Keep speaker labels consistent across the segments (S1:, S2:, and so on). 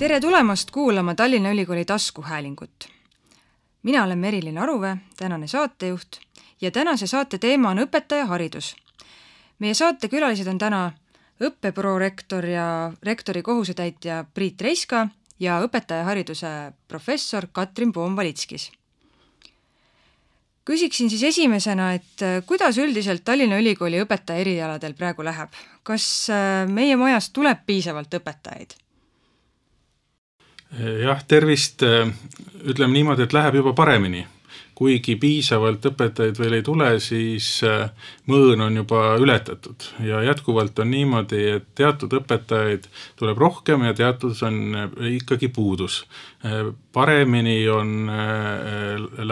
S1: Tere tulemast kuulama Tallinna Ülikooli taskuhäälingut. Mina olen Merilin Aruve, tänane saatejuht, ja tänase saate teema on õpetajaharidus. Meie saatekülalised on täna õppeprorektor ja rektori kohusetäitja Priit Reiska ja õpetajahariduse professor Katrin Poom-Valitskis. Küsiksin siis esimesena, et kuidas üldiselt Tallinna Ülikooli õpetaja erialadel praegu läheb? Kas meie majast tuleb piisavalt õpetajaid?
S2: Jah, tervist, ütleme niimoodi, et läheb juba paremini. Kuigi piisavalt õpetajaid veel ei tule, siis mõõn on juba ületatud. Ja jätkuvalt on niimoodi, et teatud õpetajaid tuleb rohkem ja teatud on ikkagi puudus. Paremini on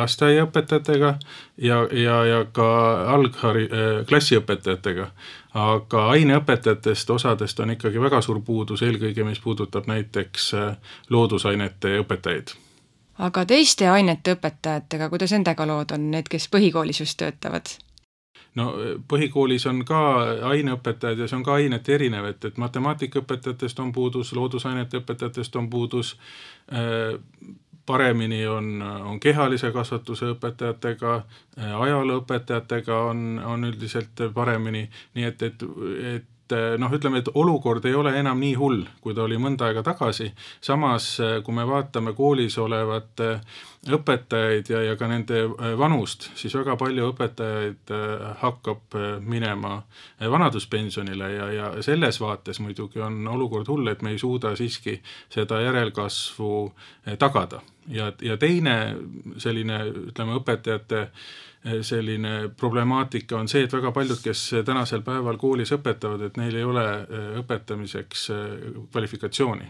S2: lasteaiaõpetajatega ja ka klassiõpetajatega. Aga aineõpetajatest osadest on ikkagi väga suur puudus, eelkõige mis puudutab näiteks loodusainete õpetajaid.
S1: Aga teiste ainete õpetajatega, kuidas endega lood on need, kes põhikoolis just töötavad?
S2: No põhikoolis on ka aineõpetajad ja see on ka ainete erinev, et matemaatikaõpetajatest on puudus, loodusainete õpetajatest on puudus, paremini on kehalise kasvatuse õpetajatega, ajalooõpetajatega on üldiselt paremini, nii et ütleme, et olukord ei ole enam nii hull, kui ta oli mõnda aega tagasi. Samas, kui me vaatame koolis olevat õpetajaid ja ka nende vanust, siis väga palju õpetajaid hakkab minema vanaduspensionile ja selles vaates muidugi on olukord hull, et me ei suuda siiski seda järelkasvu tagada. Ja teine selline, ütleme, õpetajate selline problemaatika on see, et väga paljud, kes tänasel päeval koolis õpetavad, et neil ei ole õpetamiseks kvalifikatsiooni,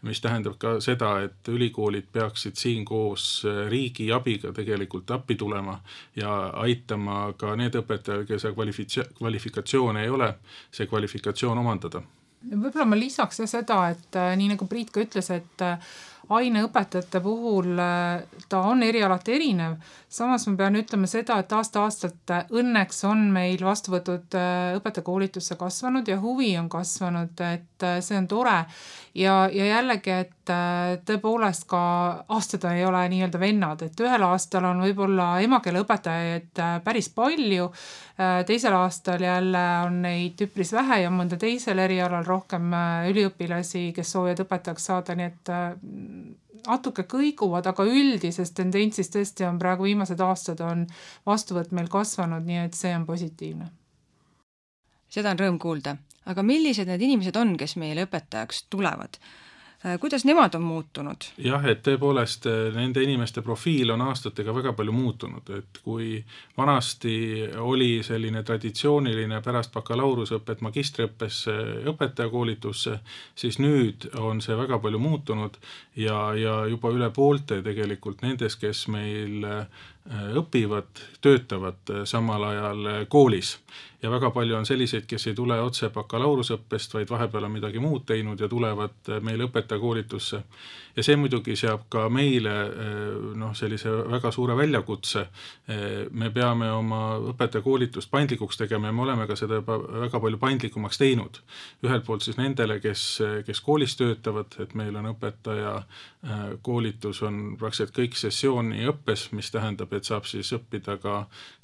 S2: mis tähendab ka seda, et ülikoolid peaksid siin koos riigi abiga tegelikult appi tulema ja aitama ka need õpetajad, kes kvalifikatsioon ei ole, see kvalifikatsioon omandada.
S3: Võib-olla ma lisaks seda, et nii nagu Priit ka ütles, et aineõpetajate puhul ta on erialati erinev. Samas ma pean ütlema seda, et aasta-aastalt õnneks on meil vastuvõtud õpetajakoolitusse kasvanud ja huvi on kasvanud, et see on tore. Ja jällegi, et tõepoolest ka aastad ei ole nii-öelda vennad, et ühel aastal on võib-olla emakeeleõpetajaid päris palju, teisel aastal jälle on neid üpris vähe ja mõnda teisel erialal rohkem üliõpilasi, kes soovivad õpetajaks saada, nii et natuke kõiguvad, aga üldises tendentsis tõesti on praegu viimased aastad on vastuvõtt meil kasvanud, nii et see on positiivne.
S1: Seda on rõõm kuulda. Aga millised need inimesed on, kes meile õpetajaks tulevad? Kuidas nemad on muutunud?
S2: Jah, et tõepoolest nende inimeste profiil on aastatega väga palju muutunud, et kui vanasti oli selline traditsiooniline pärast bakalaurusõpet magistriõppesse õpetajakoolitusse, siis nüüd on see väga palju muutunud ja juba üle poolte tegelikult nendes, kes meil õpivad, töötavad samal ajal koolis. Ja väga palju on selliseid, kes ei tule otse bakalaurusõppest, vaid vahepeal on midagi muud teinud ja tulevad meil õpetajakoolitusse. Ja see muidugi seab ka meile sellise väga suure väljakutse. Me peame oma õpetajakoolitust paindlikuks tegema ja me oleme ka seda väga palju paindlikumaks teinud. Ühelt poolt siis nendele, kes koolis töötavad, et meil on õpetaja koolitus on praktiliselt kõik sessiooni õppes, mis tähendab, et saab siis õppida ka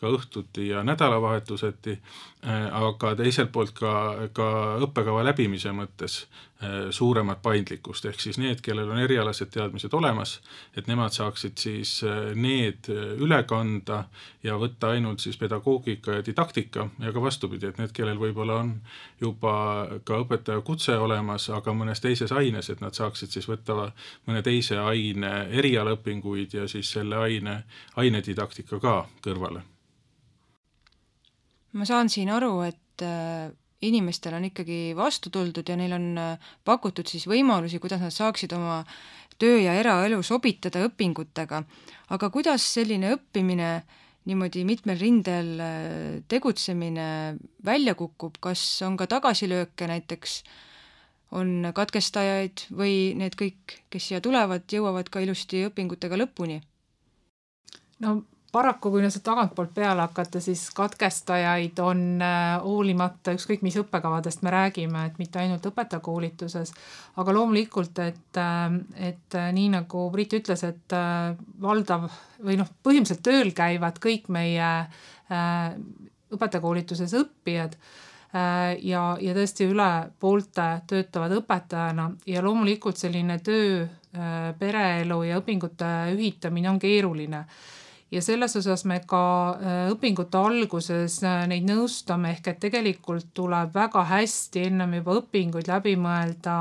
S2: õhtuti ja nädalavahetuseti, aga teiselt poolt ka õppekava läbimise mõttes suuremat paindlikkust, ehk siis need, kellel on erialased teadmised olemas, et nemad saaksid siis need üle kanda ja võtta ainult siis pedagoogika ja didaktika ja ka vastupidi, et need, kellel võib-olla on juba ka õpetaja kutse olemas, aga mõnes teises aines, et nad saaksid siis võtta mõne teise aine erialaõpinguid ja siis selle aine didaktika ka kõrvale.
S1: Ma saan siin aru, et inimestel on ikkagi vastu tuldud ja neil on pakutud siis võimalusi, kuidas nad saaksid oma töö ja eraelu sobitada õpingutega. Aga kuidas selline õppimine, niimoodi mitmel rindel tegutsemine välja kukub? Kas on ka tagasilööke, näiteks on katkestajaid või need kõik, kes siia tulevad, jõuavad ka ilusti õpingutega lõpuni?
S3: No paraku, kui sealt tagantpoolt peale hakata, siis katkestajaid on hoolimata ükskõik mis õppekavadest me räägime, et mitte ainult õpetajakoolituses, aga loomulikult, et nii nagu Priit ütles, et valdav või põhimõtteliselt tööl käivad kõik meie õpetajakoolituses õppijad ja tõesti üle poolte töötavad õpetajana ja loomulikult selline töö, pereelu ja õpingute ühitamine on keeruline. Ja selles osas me ka õpingute alguses neid nõustame, ehk et tegelikult tuleb väga hästi ennem juba õpinguid läbi mõelda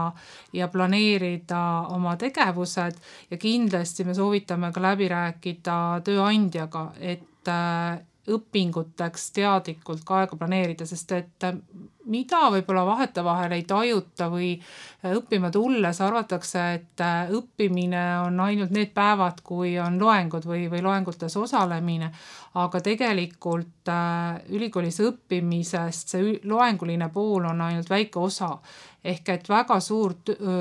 S3: ja planeerida oma tegevused ja kindlasti me soovitame ka läbi rääkida tööandjaga, et õpinguteks teadlikult ka aega planeerida, sest et mida võib-olla vahetevahel ei tajuta või õppima tulles arvatakse, et õppimine on ainult need päevad, kui on loengud või loengutes osalemine, aga tegelikult ülikoolis õppimisest see loenguline pool on ainult väike osa. Ehk et väga suur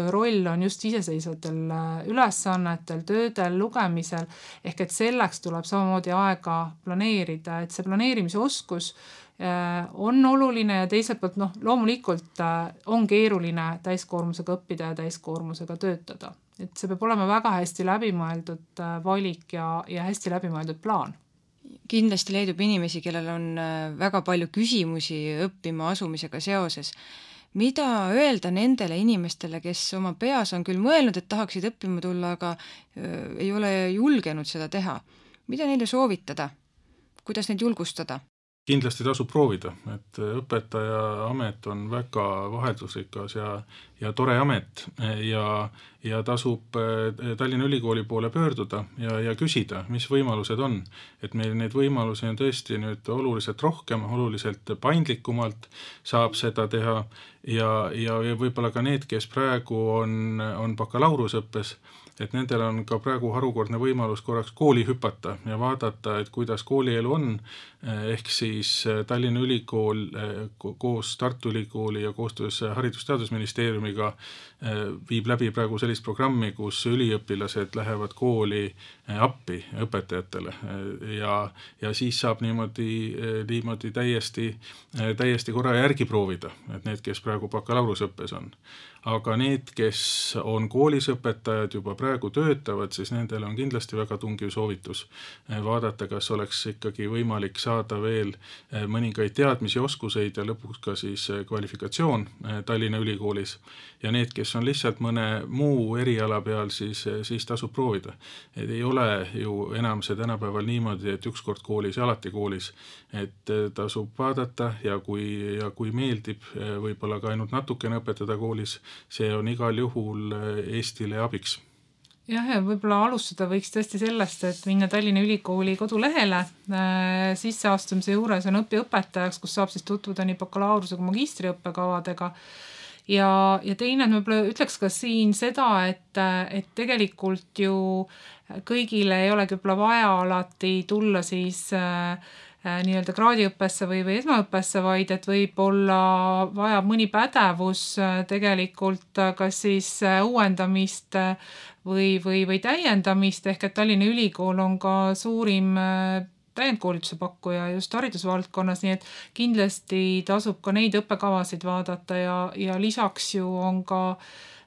S3: roll on just iseseisvatel ülesannetel, töödel, lugemisel, ehk et selleks tuleb samamoodi aega planeerida, et see planeerimise oskus on oluline ja teiselt poolt loomulikult on keeruline täiskoormusega õppida ja täiskoormusega töötada. Et see peab olema väga hästi läbimõeldud valik ja hästi läbimõeldud plaan.
S1: Kindlasti leidub inimesi, kellel on väga palju küsimusi õppima asumisega seoses. Mida öelda nendele inimestele, kes oma peas on küll mõelnud, et tahaksid õppima tulla, aga ei ole julgenud seda teha? Mida neile soovitada? Kuidas neid julgustada?
S2: Kindlasti tasub proovida, et õpetaja amet on väga vaheldusrikas ja tore amet ja tasub Tallinna Ülikooli poole pöörduda ja küsida, mis võimalused on. Et meil neid võimalusi on tõesti nüüd oluliselt rohkem, oluliselt paindlikumalt saab seda teha ja võib-olla ka need, kes praegu on bakalaureusõppes, et nendel on ka praegu harukordne võimalus korraks kooli hüpata ja vaadata, et kuidas koolielu on, ehk siis Tallinna Ülikool koos Tartu Ülikooli ja koostöös Haridus-Teadusministeeriumiga viib läbi praegu sellist programmi, kus üliõpilased lähevad kooli appi õpetajatele ja siis saab niimoodi täiesti korra järgi proovida, et need, kes praegu bakalaureusõppes on. Aga need, kes on koolis õpetajad, juba praegu töötavad, siis nendel on kindlasti väga tungiv soovitus vaadata, kas oleks ikkagi võimalik saada veel mõningaid teadmisi, oskuseid ja lõpuks ka siis kvalifikatsioon Tallinna Ülikoolis. Ja need, kes on lihtsalt mõne muu eriala peal, siis tasub proovida. Et ei ole ju enam see tänapäeval niimoodi, et ükskord koolis ja alati koolis, et tasub vaadata ja kui meeldib võib-olla ka ainult natukene õpetada koolis, see on igal juhul Eestile abiks.
S3: Jah, ja võib-olla alustada võiks tõesti sellest, et minna Tallinna Ülikooli kodulehele. Sisseastumise juures on õpiõpetajaks, kus saab siis tutvuda nii bakalaureuse kui magistriõppekavadega. Ja teine ütleks ka siin seda, et tegelikult ju kõigile ei olegi vaja alati tulla siis nii-öelda kraadiõppesse või esmaõppesse, vaid et võib olla vaja mõni pädevus tegelikult kas siis uuendamist või täiendamist, ehk et Tallinna Ülikool on ka suurim täiendkoolituse pakkuja just haridusvaldkonnas, nii et kindlasti tasub ka neid õppekavasid vaadata ja lisaks ju on ka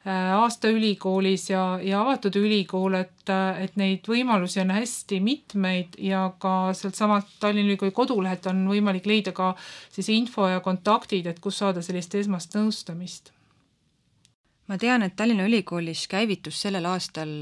S3: aasta ülikoolis ja avatud ülikool, et neid võimalusi on hästi mitmeid ja ka sealt samalt Tallinna Ülikooli kodulehelt on võimalik leida ka siis info ja kontaktid, et kus saada sellist esmast nõustamist.
S1: Ma tean, et Tallinna Ülikoolis käivitus sellel aastal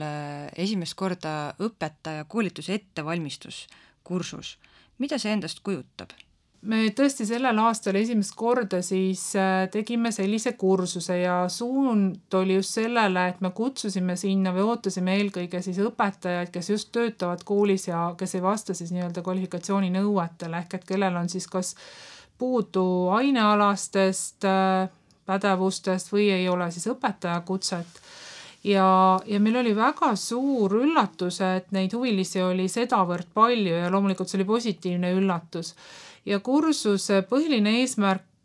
S1: esimest korda õpetaja koolituse ettevalmistuskursus. Mida see endast kujutab?
S3: Me tõesti sellel aastal esimest korda siis tegime sellise kursuse ja suund oli just sellele, et me kutsusime sinna või ootasime eelkõige siis õpetajaid, kes just töötavad koolis ja kes ei vasta siis nii-öelda kvalifikatsiooni nõuetele, ehk et kellel on siis kas puudu ainealastest pädevustest või ei ole siis õpetajakutset. Ja meil oli väga suur üllatus, et neid huvilisi oli sedavõrd palju ja loomulikult see oli positiivne üllatus. Ja kursuse põhiline eesmärk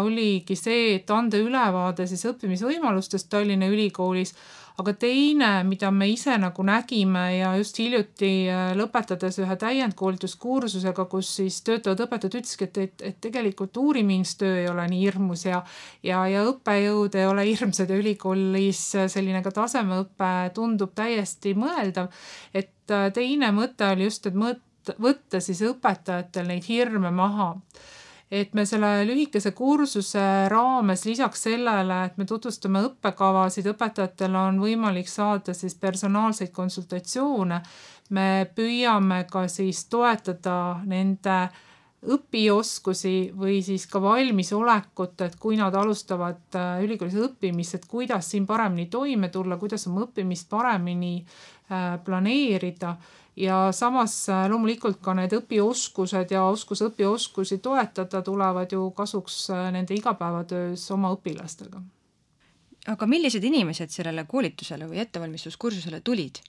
S3: oligi see, et anda ülevaade siis õppimisvõimalustest Tallinna Ülikoolis, aga teine, mida me ise nagu nägime ja just hiljuti lõpetades ühe täiendkoolituskursusega, kus siis töötavad õpetajad ütlesid, et tegelikult uurimistöö ei ole nii hirmus ja õppejõud ei ole hirmsad ja ülikoolis selline ka tasemeõpe tundub täiesti mõeldav. Et teine mõte oli just, et võtta siis õpetajatel neid hirme maha. Et me selle lühikese kursuse raames lisaks sellele, et me tutvustame õppekavasid, õpetajatel on võimalik saada siis personaalseid konsultatsioone. Me püüame ka siis toetada nende õpioskusi või siis ka valmisolekut, et kui nad alustavad ülikoolis õppimist, et kuidas siin paremini toime tulla, kuidas oma õppimist paremini planeerida. Ja samas loomulikult ka need õpioskused ja õpioskusi toetada tulevad ju kasuks nende igapäevatöös oma õpilastega.
S1: Aga millised inimesed sellele koolitusele või ettevalmistuskursusele tulid?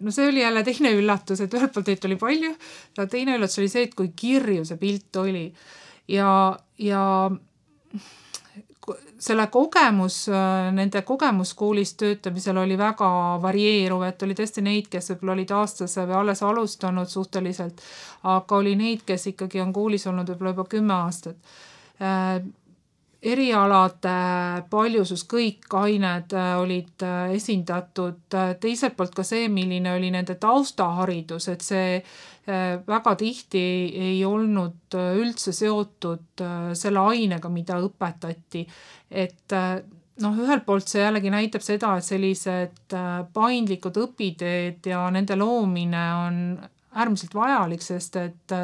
S3: No see oli jälle teine üllatus, et ühelt poolt neid oli palju, ja teine üllatus oli see, et kui kirju see pilt oli. Ja selle nende kogemuskoolis töötamisel oli väga varieeruv, et oli tõesti neid, kes võib-olla olid aastase või alles alustanud suhteliselt, aga oli neid, kes ikkagi on koolis olnud võib-olla juba 10 aastat. Erialade paljusus, kõik ained olid esindatud, teiselt poolt ka see, milline oli nende taustaharidus, et see väga tihti ei olnud üldse seotud selle ainega, mida õpetati. Et ühelt poolt see jällegi näitab seda, et sellised paindlikud õpiteed ja nende loomine on äärmiselt vajalik, sest et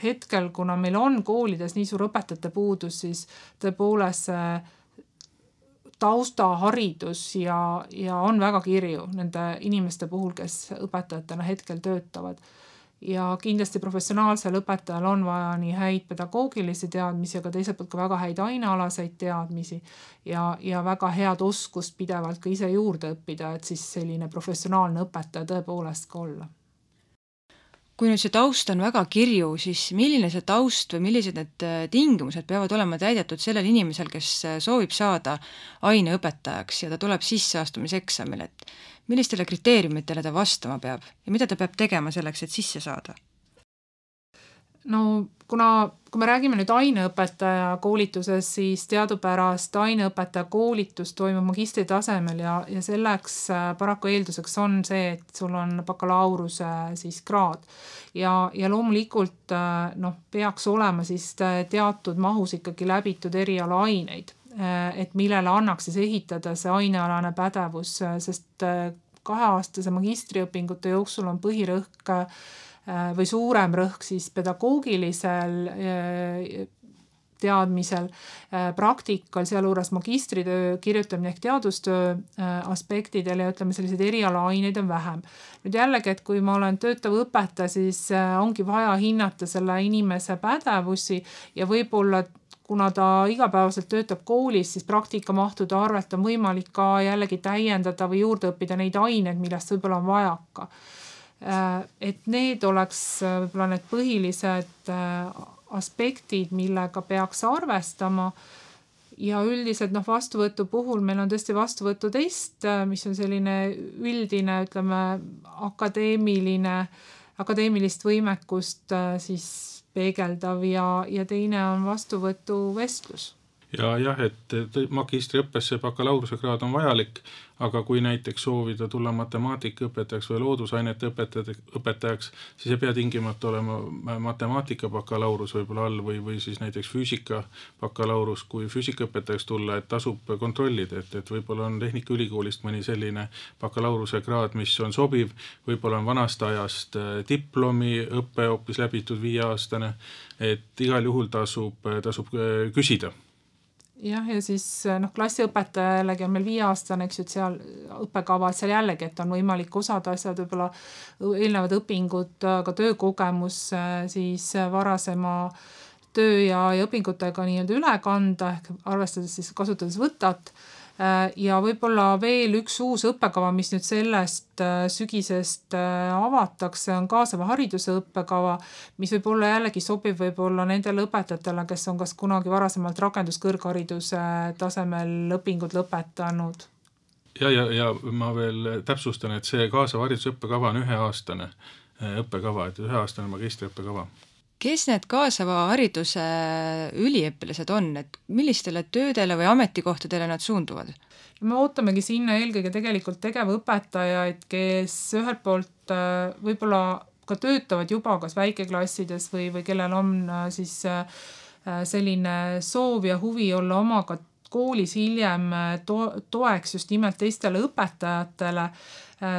S3: hetkel, kuna meil on koolides nii suur õpetajate puudus, siis tõepoolest taustaharidus ja on väga kirju nende inimeste puhul, kes õpetajatena hetkel töötavad. Ja kindlasti professionaalsel õpetajal on vaja nii häid pedagoogilisi teadmisi, aga teiselt poolt ka väga häid ainealaseid teadmisi ja väga head oskust pidevalt ka ise juurde õppida, et siis selline professionaalne õpetaja tõepoolest ka olla.
S1: Kui nüüd see taust on väga kirju, siis milline see taust või millised need tingimused peavad olema täidetud sellel inimesel, kes soovib saada aineõpetajaks ja ta tuleb sisseastumiseksamil, et millistele kriteeriumitele ta vastama peab ja mida ta peab tegema selleks, et sisse saada?
S3: No kui me räägime nüüd aineõpetaja koolituses, siis teadupärast aineõpetaja koolitus toimub magistri tasemel ja selleks paraku eelduseks on see, et sul on bakalaureuse siis kraad. Ja loomulikult peaks olema siis teatud mahus ikkagi läbitud eriala aineid, et millele annaks siis ehitada see ainealane pädevus, sest 2-aastase magistriõpingute jooksul on põhirõhk või suurem rõhk siis pedagoogilisel teadmisel, praktikal, sealjuures magistritöö kirjutamine ehk teadustöö aspektidel ja ütleme selliseid erialaaineid on vähem. Nüüd jällegi, et kui ma olen töötav õpetaja, siis ongi vaja hinnata selle inimese pädevusi ja võib-olla kuna ta igapäevaselt töötab koolis, siis praktikamahtude arvelt on võimalik ka jällegi täiendada või juurde õppida neid aineid, millest võib-olla on vajaka. Et need oleks võib-olla need põhilised aspektid, millega peaks arvestama ja üldiselt vastuvõtu puhul meil on tõesti vastuvõtutest, mis on selline üldine, ütleme, akadeemilist võimekust siis peegeldav ja teine on vastuvõtuvestlus.
S2: Ja jah, et magistriõppesse bakalaureuse kraad on vajalik, aga kui näiteks soovida tulla matemaatikaõpetajaks või loodusainete õpetajaks, siis ei pea tingimata olema matemaatika bakalaurus võib-olla all või siis näiteks füüsika bakalaurus, kui füüsikaõpetajaks tulla, et tasub kontrollida, et võib-olla on Tehnikaülikoolist mõni selline bakalaureuse kraad, mis on sobiv, võib-olla on vanast ajast diplomi õppe hoopis läbitud 5-aastane, et igal juhul tasub küsida.
S3: Jah, ja siis klassiõpetaja jällegi on meil 5-aastane, eks ju, et seal õppekava, et seal jällegi, et on võimalik osad asjad, võib-olla eelnevad õpingud, ka töökogemus siis varasema töö ja õpingutega nii-öelda üle kanda, ehk arvestades siis kasutades võtat Ja võib-olla veel üks uus õppekava, mis nüüd sellest sügisest avatakse, on kaasava hariduse õppekava, mis võib-olla jällegi sobib võib-olla nendele õpetajatele, kes on kas kunagi varasemalt rakenduskõrghariduse tasemel õpingud lõpetanud.
S2: Ja ma veel täpsustan, et see kaasava hariduse õppekava on üheaastane õppekava, et üheaastane magistriõppekava.
S1: Kes need kaasava hariduse üliõpilased on, et millistele töödele või ametikohtadele nad suunduvad?
S3: Me ootamegi sinna eelkõige tegelikult tegevõpetajaid, kes ühelt poolt võib-olla ka töötavad juba kas väikeklassides või kellel on siis selline soov ja huvi olla omaga koolis hiljem toeks just nimelt teistele õpetajatele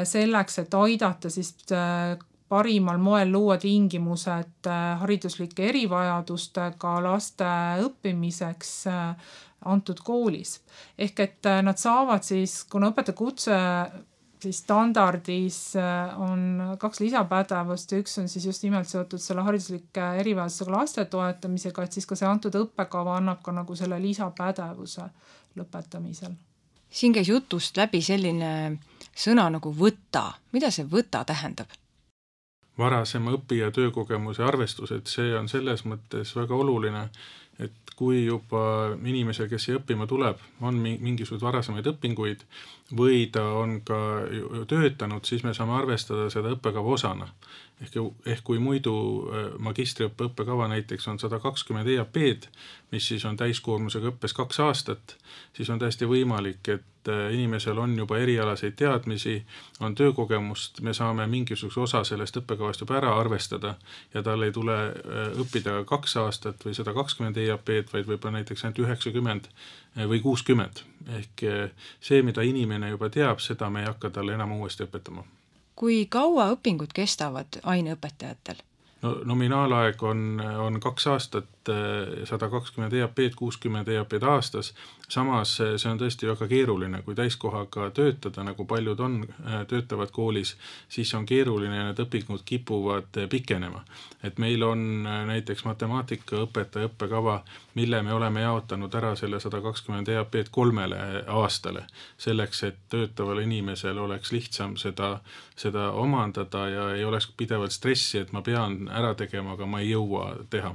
S3: selleks, et aidata siis parimal moel luua tingimused hariduslike erivajadustega laste õppimiseks antud koolis. Ehk et nad saavad siis, kuna õpetajakutse siis standardis on 2 lisapädevust ja üks on siis just nimelt seotud selle hariduslike erivajadustega laste toetamisega, et siis ka see antud õppekava annab ka nagu selle lisapädevuse lõpetamisel.
S1: Siin käis jutust läbi selline sõna nagu võta. Mida see võta tähendab?
S2: Varasema õppija töökogemuse arvestus, et see on selles mõttes väga oluline, et kui juba inimesel, kes siia õppima tuleb, on mingisugused varasemaid õpinguid või ta on ka töötanud, siis me saame arvestada seda õppekava osana. Ehk kui muidu magistriõppe õppekava näiteks on 120 EAP-d, mis siis on täiskoormusega õppes 2 aastat, siis on täiesti võimalik, et inimesel on juba erialaseid teadmisi, on töökogemust, me saame mingisuguse osa sellest õppekavast juba ära arvestada ja tal ei tule õppida 2 aastat või 120 EAP-d, vaid võib-olla näiteks ainult 90 või 60. Ehk see, mida inimene juba teab, seda me ei hakka talle enam uuesti õpetama.
S1: Kui kaua õpingud kestavad aineõpetajatel?
S2: No, nominaalaeg on 2 aastat, 120 EAP-d, 60 EAP-d aastas. Samas see on tõesti väga keeruline, kui täiskohaga töötada, nagu paljud töötavad koolis, siis on keeruline ja need õpingud kipuvad pikenema. Et meil on näiteks matemaatika õpetaja õppekava, mille me oleme jaotanud ära selle 120 EAP-d 3 aastale, selleks, et töötaval inimesel oleks lihtsam seda omandada ja ei oleks pidevalt stressi, et ma pean ära tegema, aga ma ei jõua teha.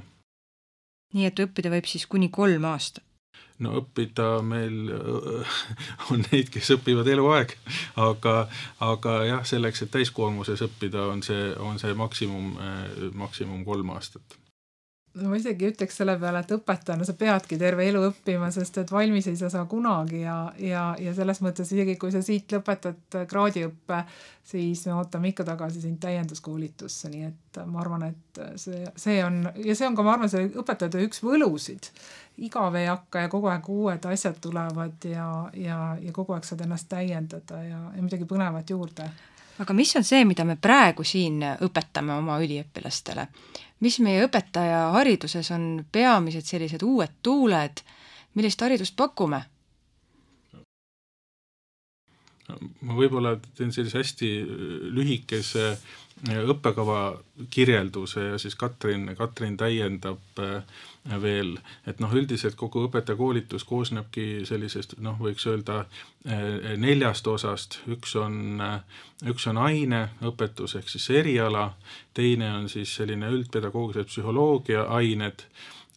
S1: Nii et õppida võib siis kuni 3 aastat?
S2: No õppida meil on neid, kes õpivad eluaeg, aga jah, selleks, et täiskoormuses õppida on see maksimum 3 aastat.
S3: Ma isegi ütleks selle peale, et õpetajana sa peadki terve elu õppima, sest et valmis ei saa kunagi ja selles mõttes isegi kui sa siit lõpetad kraadiõppe, siis me ootame ikka tagasi sind täienduskoolitusse, nii et ma arvan, et see on ka, ma arvan, see õpetajate üks võlusid. Igav ei hakka ja kogu aeg uued asjad tulevad ja kogu aeg saad ennast täiendada ja midagi põnevat juurde.
S1: Aga mis on see, mida me praegu siin õpetame oma üliõpilastele? Mis meie õpetaja hariduses on peamised sellised uued tuuled, millist haridust pakume?
S2: Ma võib-olla teen sellise hästi lühikese õppekava kirjelduse ja siis Katrin täiendab veel, et üldiselt kogu õpetajakoolitus koosnebki sellisest, võiks öelda 4 osast. Üks on aineõpetus ehk siis eriala, teine on siis selline üldpedagoogilise psühholoogia ained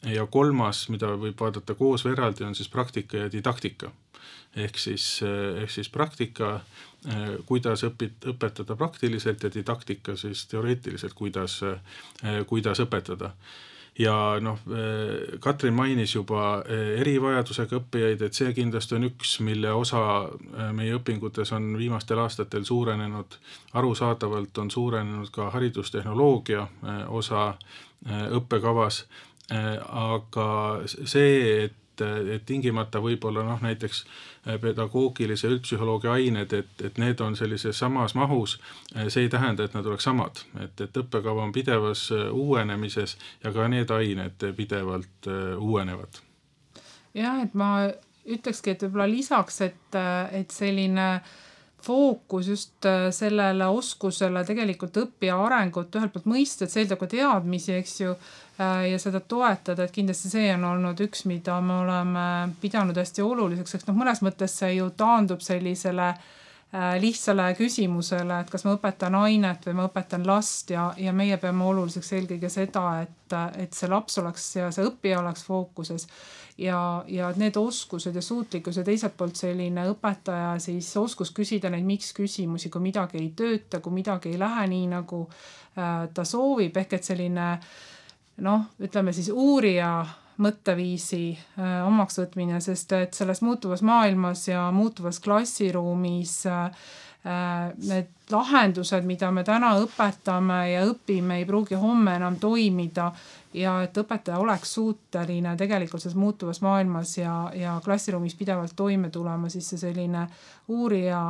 S2: ja 3, mida võib vaadata koos või eraldi, on siis praktika ja didaktika. Ehk siis praktika, kuidas õpetada praktiliselt ja didaktika siis teoreetiliselt, kuidas õpetada. Ja Katrin mainis juba erivajadusega õppijaid, et see kindlasti on üks, mille osa meie õpingutes on viimastel aastatel suurenenud. Arusaadavalt on suurenenud ka haridustehnoloogia osa õppekavas, aga see, et tingimata võib-olla näiteks pedagoogilise üldpsühholoogia ained, et need on sellises samas mahus, see ei tähenda, et nad oleks samad. Et õppekava on pidevas uuenemises ja ka need ained pidevalt uuenevad.
S3: Jah, et ma ütlekski, et võib-olla lisaks, et selline fookus just sellele oskusele tegelikult õppija arengut ühelt poolt mõista, et see eeldab ka teadmisi, eks ju, ja seda toetada, et kindlasti see on olnud üks, mida me oleme pidanud hästi oluliseks, eks mõnes mõttes see ju taandub sellisele lihtsale küsimusele, et kas ma õpetan ainet või ma õpetan last ja meie peame oluliseks eelkõige seda, et see laps oleks ja see õppija oleks fookuses ja need oskused ja suutlikkus ja teiselt poolt selline õpetaja siis oskus küsida neid miks küsimusi, kui midagi ei tööta, kui midagi ei lähe nii, nagu ta soovib, ehk et selline ütleme siis uurija mõtteviisi omaks võtmine, sest et selles muutuvas maailmas ja muutuvas klassiruumis need lahendused, mida me täna õpetame ja õpime, ei pruugi homme enam toimida ja et õpetaja oleks suuteline tegelikult selles muutuvas maailmas ja klassiruumis pidevalt toime tulema, siis see selline uurija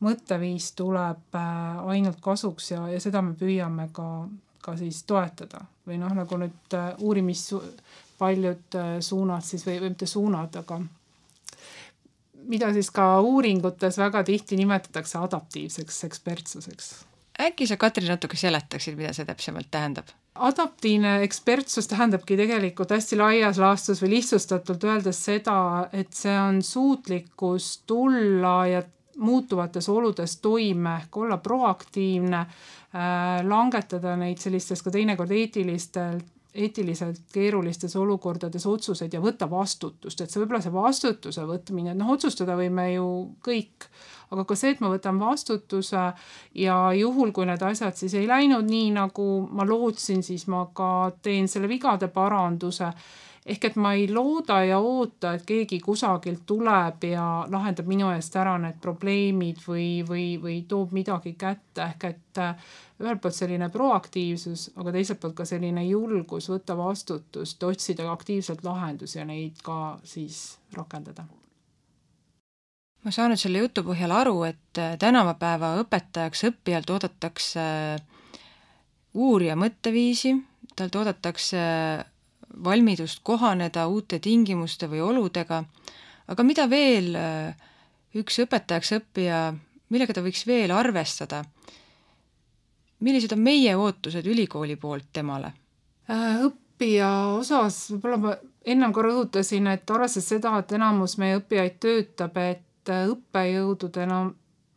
S3: mõtteviis tuleb ainult kasuks ja seda me püüame ka siis toetada või nagu nüüd paljud suunad siis või mitte suunad, aga mida siis ka uuringutes väga tihti nimetatakse adaptiivseks ekspertsuseks.
S1: Äkki sa, Katrin, natuke seletaksid, mida see täpsemalt tähendab?
S3: Adaptiivne ekspertsus tähendabki tegelikult hästi laias laastus või lihtsustatult öeldes seda, et see on suutlikkus tulla ja muutuvates oludes toime, olla proaktiivne, langetada neid sellistes ka teinekord eetiliselt keerulistes olukordades otsuseid ja võtta vastutust, et see võib-olla see vastutuse võtmine, et otsustada võime ju kõik, aga ka see, et ma võtan vastutuse ja juhul, kui need asjad siis ei läinud nii, nagu ma lootsin, siis ma ka teen selle vigade paranduse, ehk et ma ei looda ja oota, et keegi kusagilt tuleb ja lahendab minu eest ära need probleemid või toob midagi kätte, ehk et ühelt poolt selline proaktiivsus, aga teiselt poolt ka selline julgus võtta vastutust, otsida aktiivselt lahendusi ja neid ka siis rakendada.
S1: Ma saan nüüd selle jutu põhjal aru, et tänavapäeva õpetajaks õppijalt oodatakse uurija mõtteviisi, talt oodatakse valmidust kohaneda uute tingimuste või oludega, aga mida veel üks õpetajaks õppija, millega ta võiks veel arvestada? Millised on meie ootused ülikooli poolt temale?
S3: Õppija osas, võib-olla ma ennem ka rõhutasin, et arvestades seda, et enamus meie õppijaid töötab, et õppejõududena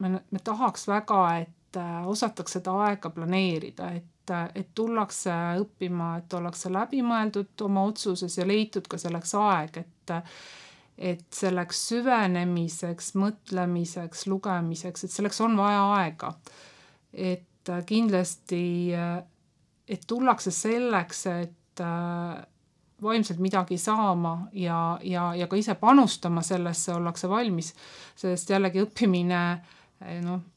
S3: me tahaks väga, et osatakse seda aega planeerida, et tullakse õppima, et ollakse läbimõeldud oma otsuses ja leitud ka selleks aeg, et selleks süvenemiseks, mõtlemiseks, lugemiseks, et selleks on vaja aega. Et kindlasti, et tullakse selleks, et vaimselt midagi saama ja ka ise panustama sellesse ollakse valmis, sest jällegi õppimine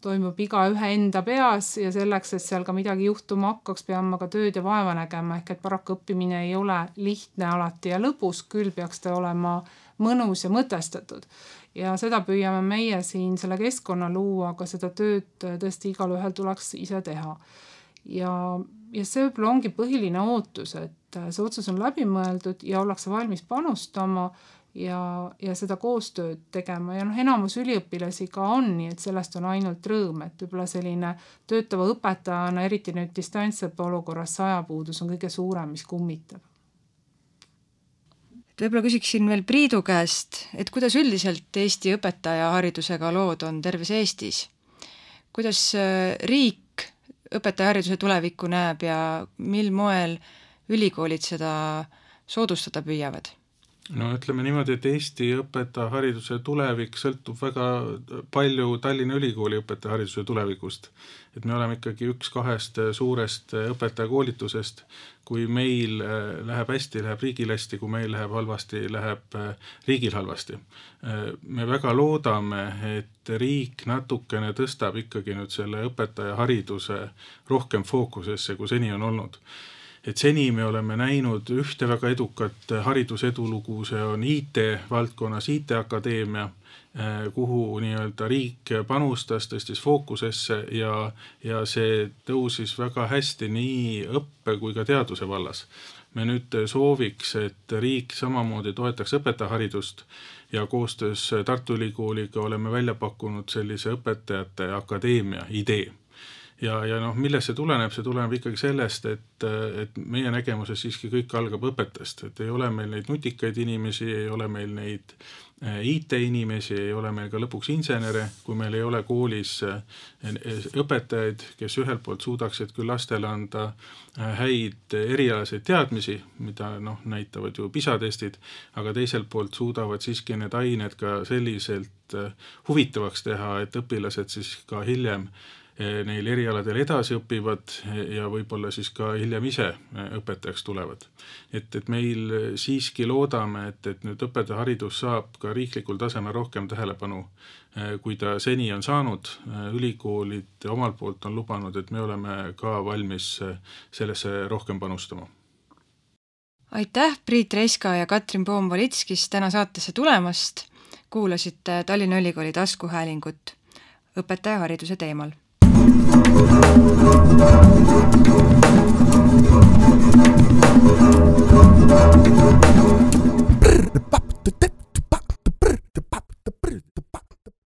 S3: toimub igaühe enda peas ja selleks, et seal ka midagi juhtuma hakkaks, peame ka tööd ja vaeva nägema, ehk et paraku õppimine ei ole lihtne alati ja lõbus, küll peaks ta olema mõnus ja mõtestatud. Ja seda püüame meie siin selle keskkonna luua, aga seda tööd tõesti igal ühel tuleks ise teha. Ja see võib-olla ongi põhiline ootus, et see otsus on läbimõeldud ja ollakse valmis panustama ja seda koostööd tegema. Ja enamus üliõpilasi ka on, nii et sellest on ainult rõõm, et võib-olla selline töötava õpetajana, eriti nüüd distantsõppe olukorras ajapuudus on kõige suurem, mis kummitab.
S1: Võib-olla küsiksin veel Priidu käest, et kuidas üldiselt Eesti õpetajaharidusega lood on terves Eestis? Kuidas riik õpetajahariduse tulevikku näeb ja mil moel ülikoolid seda soodustada püüavad?
S2: No ütleme niimoodi, et Eesti õpetajahariduse tulevik sõltub väga palju Tallinna Ülikooli õpetajahariduse tulevikust. Et me oleme ikkagi üks kahest suurest õpetajakoolitusest. Kui meil läheb hästi, läheb riigil hästi, kui meil läheb halvasti, läheb riigil halvasti. Me väga loodame, et riik natukene tõstab ikkagi nüüd selle õpetajahariduse rohkem fookusesse, kui seni on olnud. Et seni me oleme näinud ühte väga edukat haridusedulugu, see on IT-valdkonnas IT-akadeemia, kuhu nii-öelda riik panustas, tõstis fookusesse ja see tõusis väga hästi nii õppe kui ka teaduse vallas. me nüüd sooviks, et riik samamoodi toetaks õpetajaharidust ja koostöös Tartu Ülikooliga oleme välja pakkunud sellise õpetajate akadeemia idee. Ja millest see tuleneb? See tuleneb ikkagi sellest, et meie nägemuses siiski kõik algab õpetajast, et ei ole meil neid nutikaid inimesi, ei ole meil neid IT-inimesi, ei ole meil ka lõpuks insenere, kui meil ei ole koolis õpetajaid, kes ühelt poolt suudaksid küll lastele anda häid erialaseid teadmisi, mida näitavad ju PISA-testid, aga teiselt poolt suudavad siiski need ained ka selliselt huvitavaks teha, et õpilased siis ka hiljem neil erialadel edasi õpivad ja võib-olla siis ka hiljem ise õpetajaks tulevad. Et meil siiski loodame, et nüüd õpetajaharidus saab ka riiklikul tasemel rohkem tähelepanu, kui ta seni on saanud. Ülikoolid omalt poolt on lubanud, et me oleme ka valmis sellesse rohkem panustama.
S1: Aitäh, Priit Reiska ja Katrin Poom-Valitskis täna saatesse tulemast. Kuulasite Tallinna Ülikooli taskuhäälingut õpetajahariduse teemal.